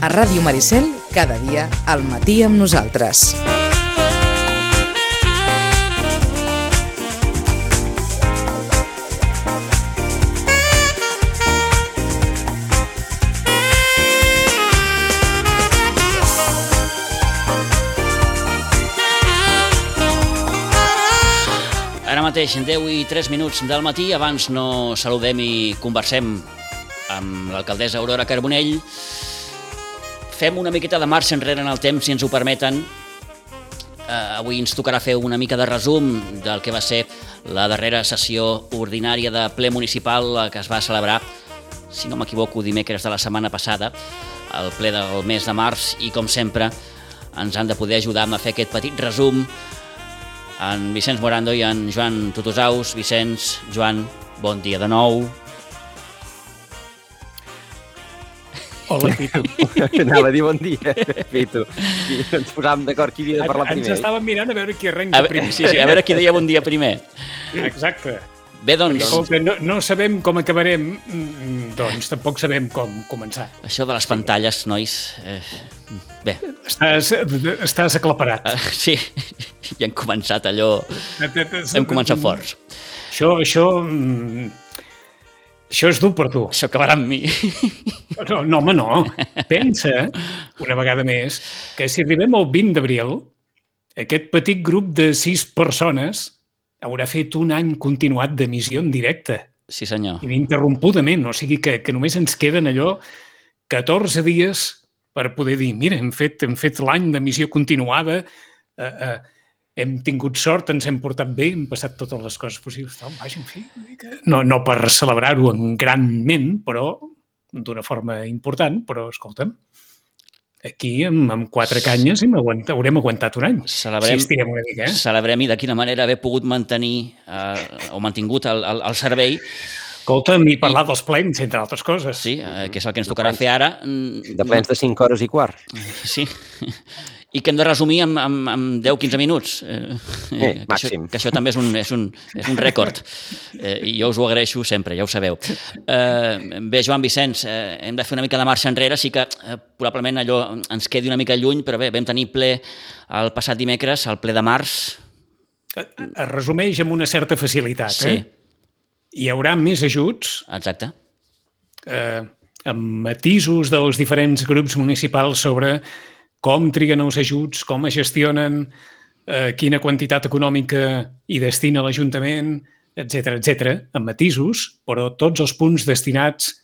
A Ràdio Maricel, cada dia al matí amb nosaltres. Ara mateix, 10 i 3 minuts del matí, abans no saludem i conversem amb l'alcaldessa Aurora Carbonell. Fem una miqueta de marxa enrere en el temps, si ens ho permeten. Avui ens tocarà fer una mica de resum del que va ser la darrera sessió ordinària de ple municipal que es va celebrar, si no m'equivoco, dimecres de la setmana passada, el ple del mes de març, i com sempre ens han de poder ajudar a fer aquest petit resum en Vicenç Morando i en Joan Tutusaus. Vicenç, Joan, bon dia de nou. Hola, Pitu. Anava a dir bon dia, Pitu. Ens posàvem d'acord qui havia de parlar primer. Ens estàvem mirant a veure qui arrenca primer. Sí, a veure qui deia bon dia primer. Exacte. Bé, doncs... No sabem com acabarem, doncs tampoc sabem com començar. Això de les pantalles, nois... Bé. Estàs aclaparat. Sí, ja hem començat allò... Hem començat forts. Això és dur per tu. Això acabarà amb mi. No, home, no. Pensa, una vegada més, que si arribem al 20 d'abril, aquest petit grup de 6 persones haurà fet un any continuat d'emissió en directe. Sí, senyor. Ininterrompudament, o sigui que només ens queden allò 14 dies per poder dir, mira, hem fet l'any d'emissió continuada, hem tingut sort, ens hem portat bé, hem passat totes les coses possibles. Vaja, en fi, no per celebrar-ho granment, però d'una forma important, però escolta'm, aquí amb 4 canyes haurem aguantat un any. Celebrem, si estirem una mica, celebrem i de quina manera haver pogut mantenir o mantingut el servei. Escolta'm, i parlar dels plens, entre altres coses. Sí, que és el que ens tocarà fer ara. De plens de 5 hores i quart. Sí, i que hem de resumir amb 10-15 minuts. Màxim. Que això també és un rècord. I jo us ho agraeixo sempre, ja ho sabeu. Bé, Joan, Vicenç, hem de fer una mica de marxa enrere, sí que probablement allò ens quedi una mica lluny, però bé, vam tenir ple el passat dimecres, el ple de març. Es resumeix amb una certa facilitat, sí. Hi haurà més ajuts. Exacte. Amb matisos dels diferents grups municipals sobre com triguen els ajuts, com es gestionen, quina quantitat econòmica hi destina l'Ajuntament, etc., amb matisos, però tots els punts destinats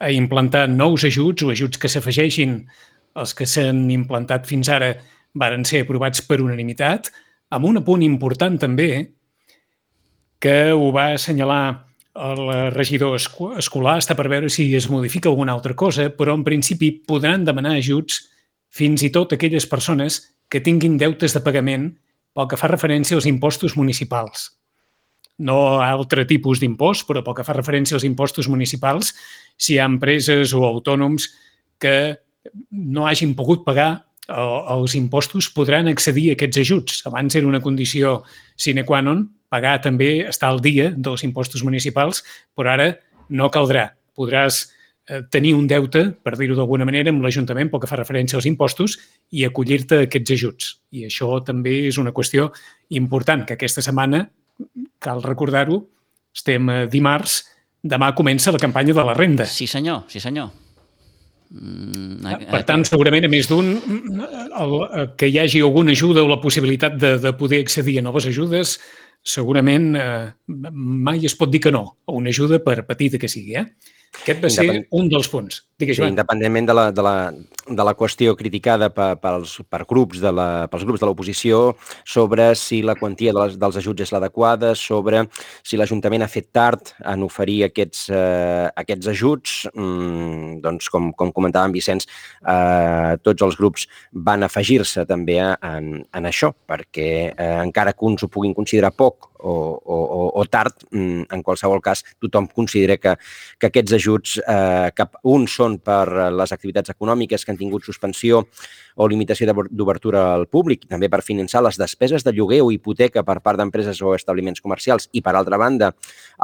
a implantar nous ajuts o ajuts que s'afegeixin als que s'han implantat fins ara varen ser aprovats per unanimitat, amb un apunt important també, que ho va assenyalar el regidor escolar, està per veure si es modifica alguna altra cosa, però en principi podran demanar ajuts fins i tot aquelles persones que tinguin deutes de pagament pel que fa referència als impostos municipals. No a altre tipus d'impost, però pel que fa referència als impostos municipals, si hi ha empreses o autònoms que no hagin pogut pagar els impostos, podran accedir a aquests ajuts. Abans era una condició sine qua non, pagar també, estar al dia dels impostos municipals, però ara no caldrà. Podràs tenir un deute, per dir-ho d'alguna manera, amb l'Ajuntament pel que fa referència als impostos i acollir-te a aquests ajuts. I això també és una qüestió important, que aquesta setmana, cal recordar-ho, estem dimarts, demà comença la campanya de la renda. Sí, senyor, sí, senyor. Per tant, segurament, a més d'un, que hi hagi alguna ajuda o la possibilitat de poder accedir a noves ajudes, segurament mai es pot dir que no a una ajuda, per petita que sigui. Aquest va ser un dels punts. Digues, Joan. Sí, independentment de la qüestió criticada pels grups de l'oposició sobre si la quantia dels ajuts és l'adequada, sobre si l'Ajuntament ha fet tard en oferir aquests ajuts, doncs, com comentava en Vicenç, tots els grups van afegir-se també en això, perquè encara que uns ho puguin considerar poc o tard, en qualsevol cas, tothom considera que aquests ajuts, que uns són per les activitats econòmiques que han tingut suspensió o limitació d'obertura al públic, i també per finançar les despeses de lloguer o hipoteca per part d'empreses o establiments comercials, i, per altra banda,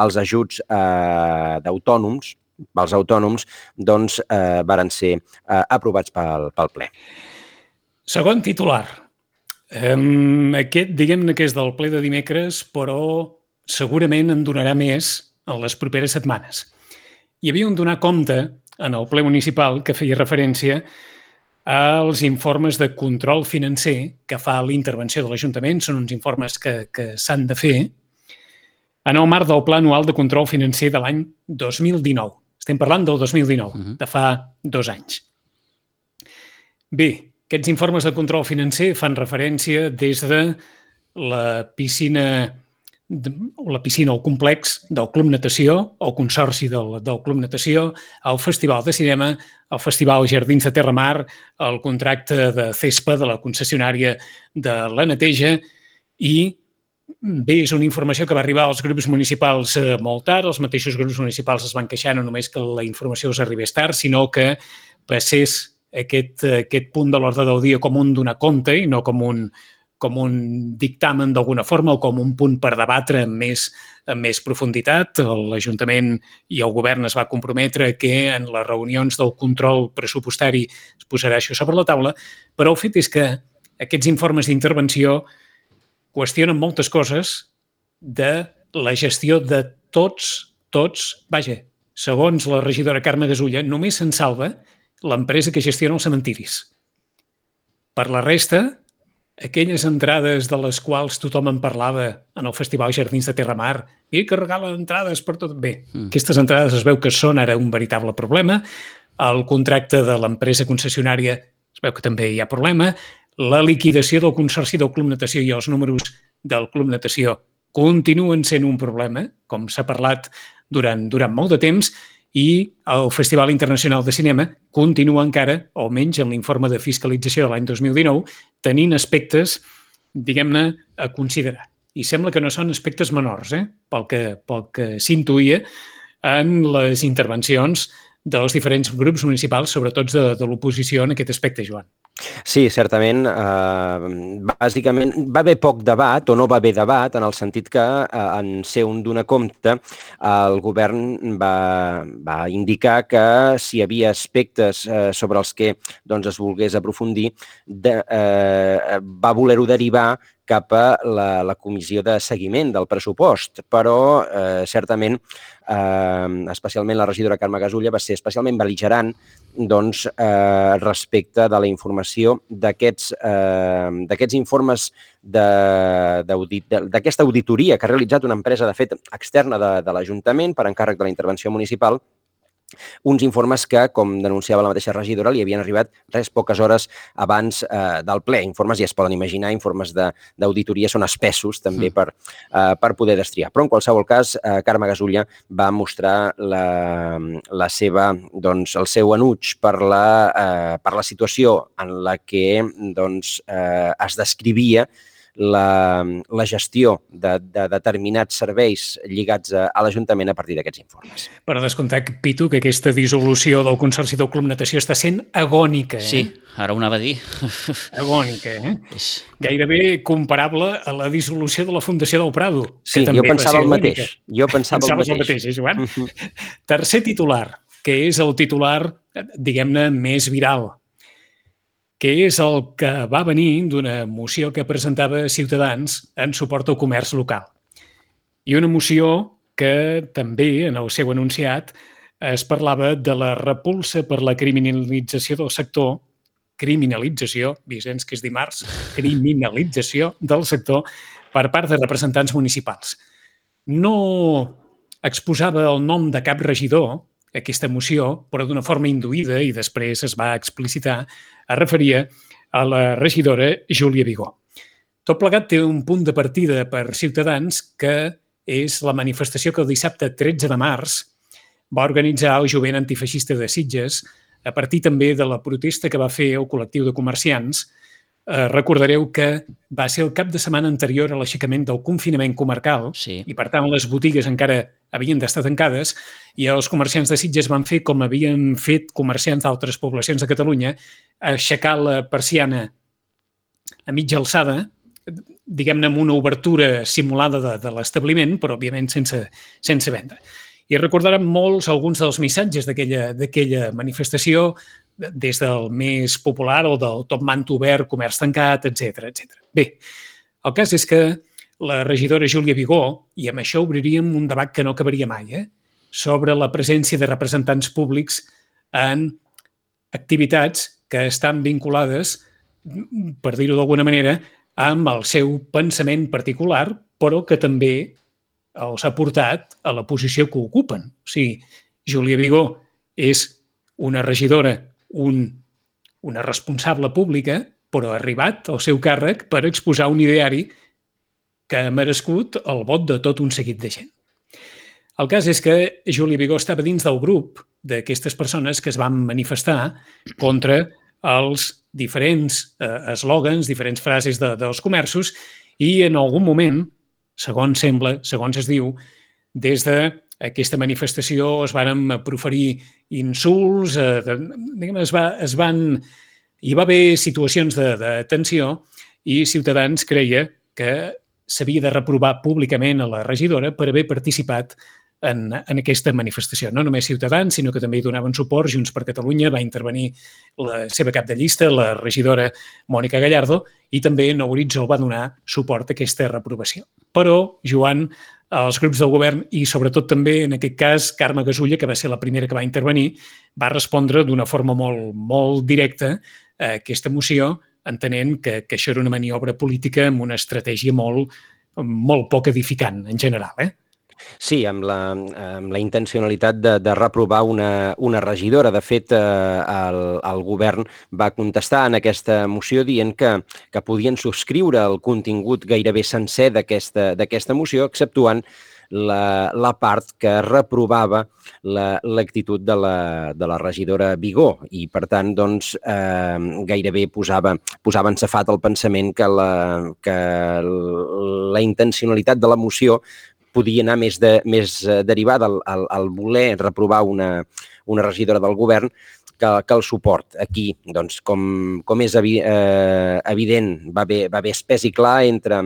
els ajuts d'autònoms, pels autònoms, doncs varen ser aprovats pel ple. Segon titular. Aquest, diguem-ne que és del ple de dimecres, però segurament en donarà més en les properes setmanes. Hi havia un donar compte en el ple municipal que feia referència als informes de control financer que fa l'intervenció de l'Ajuntament. Són uns informes que s'han de fer en el marc del Pla Anual de Control Financer de l'any 2019. Estem parlant del 2019, de fa 2 anys. Bé, aquests informes de control financer fan referència des de la piscina o complex del Club Natació, el consorci del Club Natació, el Festival de Cinema, el Festival Jardins de Terramar, el contracte de CESPA de la concessionària de la neteja i bé, és una informació que va arribar als grups municipals molt tard. Els mateixos grups municipals es van queixar no només que la informació us arribés tard, sinó que passés aquest punt de l'ordre del dia com un donar compte i no com un dictamen d'alguna forma o com un punt per debatre amb més profunditat. L'Ajuntament i el Govern es va comprometre que en les reunions del control pressupostari es posarà això sobre la taula, però el fet és que aquests informes d'intervenció qüestionen moltes coses de la gestió de tots, vaja, segons la regidora Carme Gasulla, només se'n salva l'empresa que gestiona els cementiris. Per la resta, aquelles entrades de les quals tothom en parlava en el Festival Jardins de Terramar, i que regalen entrades per tot. Bé, aquestes entrades es veu que són ara un veritable problema. El contracte de l'empresa concessionària es veu que també hi ha problema. La liquidació del consorci del Club Natació i els números del Club Natació continuen sent un problema, com s'ha parlat durant molt de temps, i el Festival Internacional de Cinema continua encara, almenys en l'informe de fiscalització de l'any 2019, tenint aspectes, diguem-ne, a considerar. I sembla que no són aspectes menors, pel que s'intuïa en les intervencions dels diferents grups municipals, sobretot de l'oposició en aquest aspecte, Joan. Sí, certament. Bàsicament, va haver poc debat o no va haver debat en el sentit que en ser un donar compte el govern va indicar que si hi havia aspectes sobre els que es volgués aprofundir va voler-ho derivar cap a la comissió de seguiment del pressupost, però certament, especialment la regidora Carme Gasulla va ser especialment bel·ligerant respecte de la informació d'aquests informes d'aquesta auditoria que ha realitzat una empresa, de fet, externa de l'Ajuntament per encàrrec de la intervenció municipal, uns informes que, com denunciava la mateixa regidora, li havien arribat poques hores abans del ple. Informes, ja es poden imaginar, informes d'auditoria són espessos també per poder destriar. Però, en qualsevol cas, Carme Gasulla va mostrar el seu enuig per la situació en la que es descrivia la gestió de determinats serveis lligats a l'Ajuntament a partir d'aquests informes. Per descomptar, Pitu, que aquesta dissolució del Consorci del Club Natació està sent agònica. Sí, ara ho anava a dir. Agònica, Gairebé comparable a la dissolució de la Fundació del Prado. Sí, jo pensava el mateix. Pensaves el mateix, Joan? Tercer titular, que és el titular, diguem-ne, més viral, que és el que va venir d'una moció que presentava Ciutadans en suport al comerç local. I una moció que també, en el seu enunciat, es parlava de la repulsa per la criminalització del sector, Vicenç, que és dimarts, criminalització del sector per part de representants municipals. No exposava el nom de cap regidor, aquesta moció, però d'una forma induïda, i després es va explicitar, es referia a la regidora Júlia Vigó. Tot plegat té un punt de partida per Ciutadans que és la manifestació que el dissabte 13 de març va organitzar el Jovent Antifeixista de Sitges a partir també de la protesta que va fer el col·lectiu de comerciants. Recordareu que va ser el cap de setmana anterior a l'aixecament del confinament comarcal i, per tant, les botigues encara havien d'estar tancades i els comerciants de Sitges van fer com havien fet comerciants d'altres poblacions de Catalunya, aixecar la persiana a mitja alçada, diguem-ne amb una obertura simulada de l'establiment, però òbviament sense venda. i recordaran molts alguns dels missatges d'aquella manifestació, des del més popular o del top manta obert, comerç tancat, etc. Bé, el cas és que la regidora Júlia Vigó, i amb això obriríem un debat que no acabaria mai, sobre la presència de representants públics en activitats que estan vinculades, per dir-ho d'alguna manera, amb el seu pensament particular, però que també els ha portat a la posició que ocupen. O sigui, Júlia Vigó és una regidora, una responsable pública, però ha arribat al seu càrrec per exposar un ideari que ha merescut el vot de tot un seguit de gent. El cas és que Júlia Vigó estava dins del grup d'aquestes persones que es van manifestar contra els diferents eslògans, diferents frases dels comerços, i en algun moment, segons sembla, segons es diu, des d'aquesta manifestació es van proferir insults, hi va haver situacions de tensió i Ciutadans creia que s'havia de reprovar públicament a la regidora per haver participat en aquesta manifestació. No només Ciutadans, sinó que també hi donaven suport. Junts per Catalunya va intervenir la seva cap de llista, la regidora Mònica Gallardo, i també Nou Horitzó va donar suport a aquesta reprovació. Però, Joan, els grups del govern i sobretot també, en aquest cas, Carme Gasulla, que va ser la primera que va intervenir, va respondre d'una forma molt directa a aquesta moció, entenent que això era una maniobra política amb una estratègia molt poc edificant, en general, Sí, amb la intencionalitat de reprovar una regidora. De fet, el govern va contestar en aquesta moció dient que podien subscriure el contingut gairebé sencer d'aquesta moció, exceptuant la part que reprovava l'actitud de la regidora Vigó i, per tant, doncs, gairebé posava en safat el pensament que la intencionalitat de la moció podia anar més derivada al voler reprovar una regidora del govern que el suport. Aquí, doncs, com és evident, va haver espès i clar entre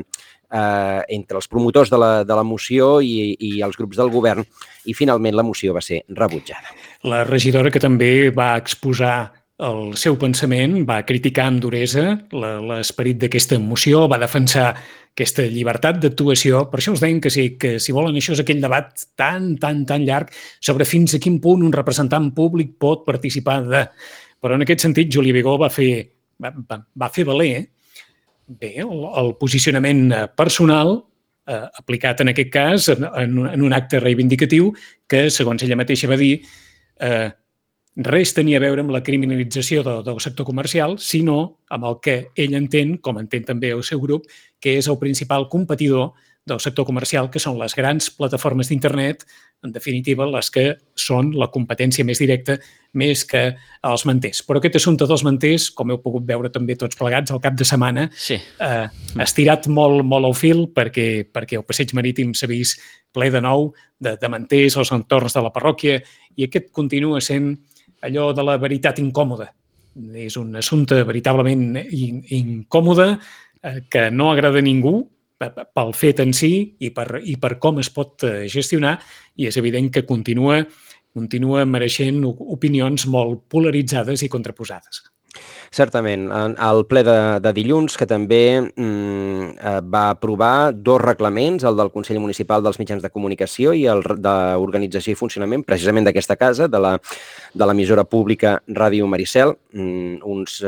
els promotors de la moció i els grups del govern, i finalment la moció va ser rebutjada. La regidora, que també va exposar el seu pensament, va criticar amb duresa l'esperit d'aquesta moció, va defensar aquesta llibertat d'actuació. Per això us deien que si volen, això és aquell debat tan llarg sobre fins a quin punt un representant públic pot participar de... Però en aquest sentit, Júlia Vigó va fer valer el posicionament personal aplicat en aquest cas en un acte reivindicatiu que, segons ella mateixa va dir, res tenia a veure amb la criminalització del sector comercial, sinó amb el que ell entén, com entén també el seu grup, que és el principal competidor del sector comercial, que són les grans plataformes d'internet, en definitiva, les que són la competència més directa, més que els manters. Però aquest assumpte dels manters, com heu pogut veure també tots plegats al cap de setmana, ha estirat molt al fil perquè el passeig marítim s'ha vist ple de nou de manters als entorns de la parròquia, i aquest continua sent allò de la veritat incòmoda. És un assumpte veritablement incòmode que no agrada a ningú pel fet en si i per com es pot gestionar, i és evident que continua mereixent opinions molt polaritzades i contraposades. Certament. El ple de dilluns, que també va aprovar 2 reglaments, el del Consell Municipal dels Mitjans de Comunicació i el d'Organització i Funcionament, precisament d'aquesta casa, de l'emissora pública Ràdio Maricel, uns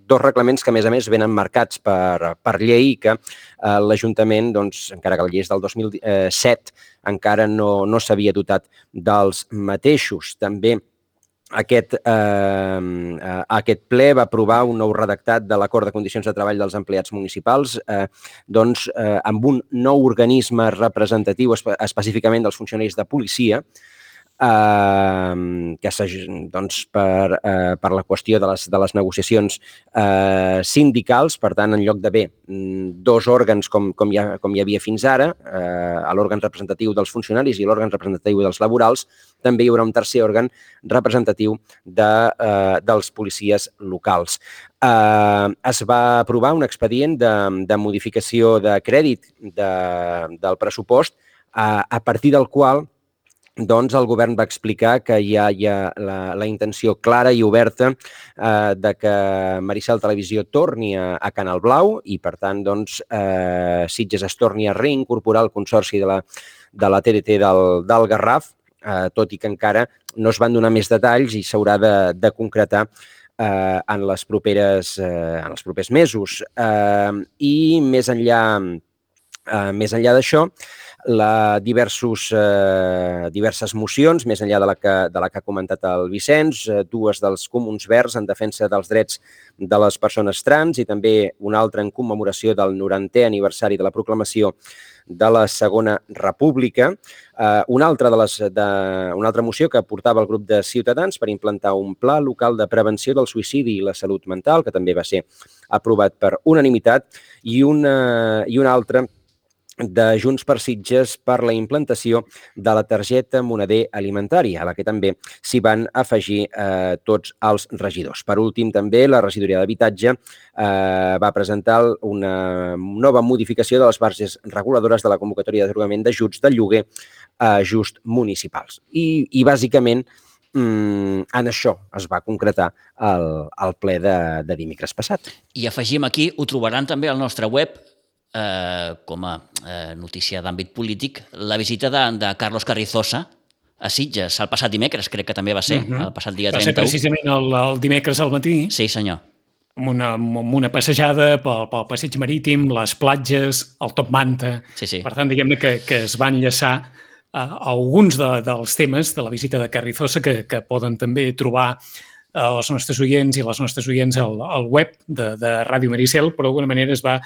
2 reglaments que, a més, venen marcats per llei i que l'Ajuntament, doncs, encara que la llei és del 2007, encara no s'havia dotat dels mateixos. També aquest ple va aprovar un nou redactat de l'Acord de Condicions de Treball dels Empleats Municipals, amb un nou organisme representatiu específicament dels funcionaris de policia, que per la qüestió de les negociacions sindicals. Per tant, en lloc d'haver 2 òrgans com hi havia fins ara, l'òrgan representatiu dels funcionaris i l'òrgan representatiu dels laborals, també hi haurà un tercer òrgan representatiu dels policies locals. Es va aprovar un expedient de modificació de crèdit del pressupost, a partir del qual doncs el govern va explicar que hi ha la intenció clara i oberta de que Maricel Televisió torni a Canal Blau i, per tant, doncs, Sitges es torni a reincorporar al consorci de la TDT del Garraf, tot i que encara no es van donar més detalls i s'haurà de concretar en els propers mesos. I més enllà d'això, diverses mocions, més enllà de la que ha comentat el Vicenç, dues dels Comuns Verds en defensa dels drets de les persones trans i també una altra en commemoració del 90è aniversari de la proclamació de la Segona República. Una altra moció que portava el grup de Ciutadans per implantar un pla local de prevenció del suïcidi i la salut mental, que també va ser aprovat per unanimitat, i una altra de Junts per Sitges per la implantació de la targeta moneder alimentària, a la que també s'hi van afegir tots els regidors. Per últim, també, la regidoria d'Habitatge va presentar una nova modificació de les bases reguladores de la convocatòria d'atorgament d'ajuts de lloguer a ajuts municipals. I bàsicament, en això es va concretar el ple de dimecres passat. I afegim aquí, ho trobaran també al nostre web, com a notícia d'àmbit polític, la visita de Carlos Carrizosa a Sitges el passat dimecres, crec que també va ser, el passat dia 31. Va ser precisament el dimecres al matí. Sí, senyor. Amb una passejada pel passeig marítim, les platges, el Top Manta. Sí. Per tant, diguem-ne que es van enllaçar alguns dels temes de la visita de Carrizosa que poden també trobar els nostres oients i les nostres oients al web de Ràdio Maricel, però d'alguna manera es va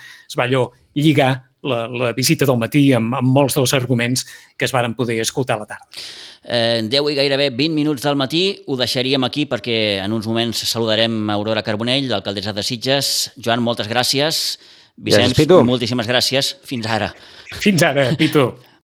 allò lligar la visita del matí amb molts dels arguments que es varen poder escoltar a la tarda. 10 i gairebé 20 minuts del matí, ho deixaríem aquí perquè en uns moments saludarem Aurora Carbonell, l'alcaldessa de Sitges. Joan, moltes gràcies. Vicenç, moltíssimes gràcies. Fins ara. Fins ara, Pitu.